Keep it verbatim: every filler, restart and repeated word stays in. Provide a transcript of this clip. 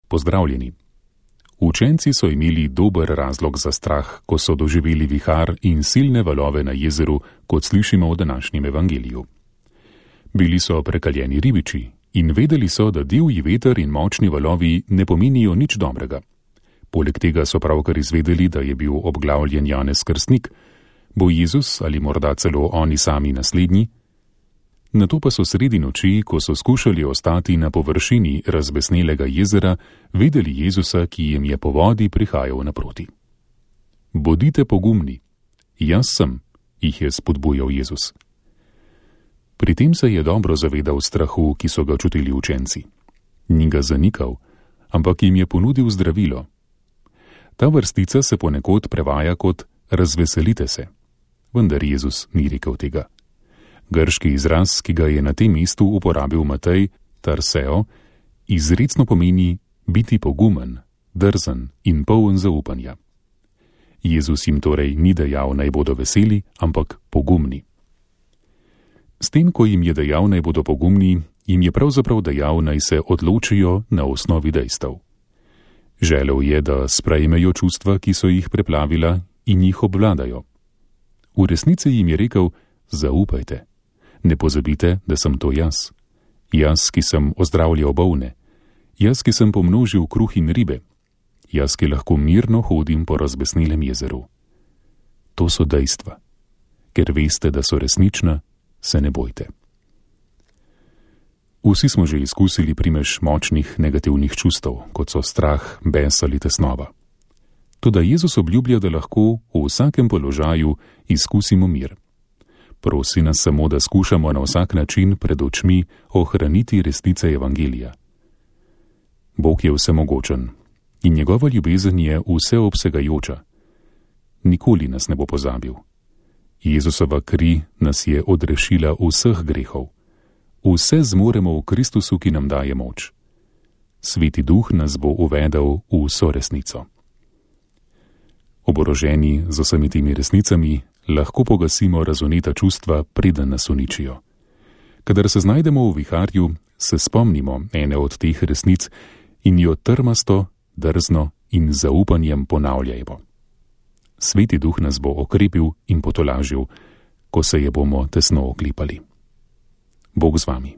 Pozdravljeni. Učenci so imeli dober razlog za strah, ko so doživeli vihar in silne valove na jezeru, kot slišimo v današnjem evangeliju. Bili so prekaljeni ribiči in vedeli so, da divji veter in močni valovi ne pomenijo nič dobrega. Poleg tega so pravkar izvedeli, da je bil obglavljen Janez Krstnik. Bo Jezus ali morda celo oni sami naslednji? Nato pa so sredi noči, ko so skušali ostati na površini razbesnelega jezera, videli Jezusa, ki jim je po vodi prihajal naproti. Bodite pogumni, jaz sem, jih je spodbujal Jezus. Pri tem se je dobro zavedal strahu, ki so ga čutili učenci. Ni ga zanikal, ampak jim je ponudil zdravilo. Ta vrstica se ponekod prevaja kot razveselite se, vendar Jezus ni rekel tega. Grški izraz, ki ga je na tem mestu uporabil Matej, tarseo, izrecno pomeni biti pogumen, drzen in poln zaupanja. Jezus jim torej ni dejal, naj bodo veseli, ampak pogumni. S tem, ko jim je dejal, naj bodo pogumni, jim je pravzaprav dejal, naj se odločijo na osnovi dejstev. Želel je, da sprejmejo čustva, ki so jih preplavila, in jih obvladajo. V resnici jim je rekel, zaupajte. Ne pozabite, da sem to jaz. Jaz, ki sem ozdravljal bolne. Jaz, ki sem pomnožil kruh in ribe. Jaz, ki lahko mirno hodim po razbesnelem jezeru. To so dejstva. Ker veste, da so resnična, se ne bojte. Vsi smo že izkusili primež močnih negativnih čustev, kot so strah, bes ali tesnova. Toda Jezus obljublja, da lahko v vsakem položaju izkusimo mir. Prosi nas samo, da skušamo na vsak način pred očmi ohraniti resnice evangelija. Bog je vsemogočen in njegova ljubezen je vseobsegajoča. Nikoli nas ne bo pozabil. Jezusova kri nas je odrešila vseh grehov. Vse zmoremo v Kristusu, ki nam daje moč. Sveti Duh nas bo uvedel v vso resnico. Oboroženi z vsemi temi resnicami lahko pogasimo razvneta čustva, preden nas uničijo. Kadar se znajdemo v viharju, se spomnimo ene od teh resnic in jo trmasto, drzno in zaupanjem ponavljajmo. Sveti Duh nas bo okrepil in potolažil, ko se je bomo tesno oklepali. Bog z vami.